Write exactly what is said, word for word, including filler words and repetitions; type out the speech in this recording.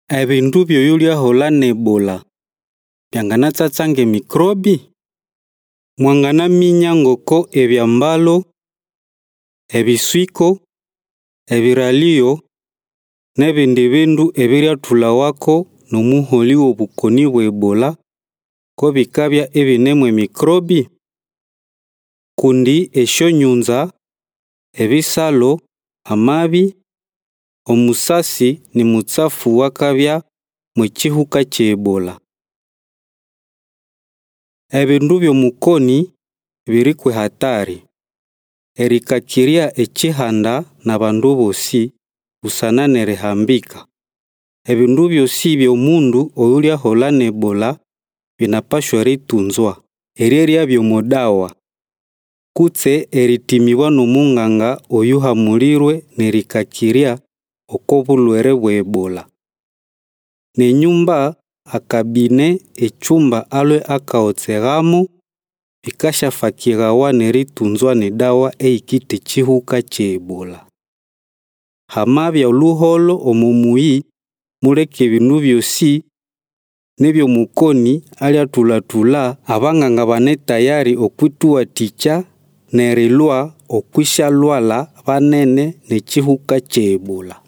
Ebindu byoyulyahola ne Ebola byanganatsatsange mikrobi? Mwanganaminya ngoko ebyambalo, ebiswiko, ebiraliyo, nebindi bindu ebiryathulawako nomuholi w'obukoni bwa Ebola ko bikabya ebinemwe mikrobi? Kundi esyonyunza, ebisalo, amabi, omusasi ni mutsafu wakabya mwekihuka kye Ebola. Ebindu by'omukoni biri kwe hatari. Erikakirya ekihanda n'abandu bosi busana nerihambika. Ebindu byosi by'omundu oyulyahola ne Ebola binapashwa ritunzwa, eryerya byomodawa, kutse eritimibwa n'omunganga oyuhamulirwe nerikakirya oko bulwere bwa Ebola. Nenyumba akabine ecyumba alwe akaotsegamo bikashafakirawa neritunzwa nedawa eikite ekihuka kye Ebola. Hamabya oluholo omumuyi muleke ebindu byosi nebyomukoni alyathulatula abanganga bane tayari okwituwathikya nerilwa okwisyalwala banene nekihuka kye Ebola.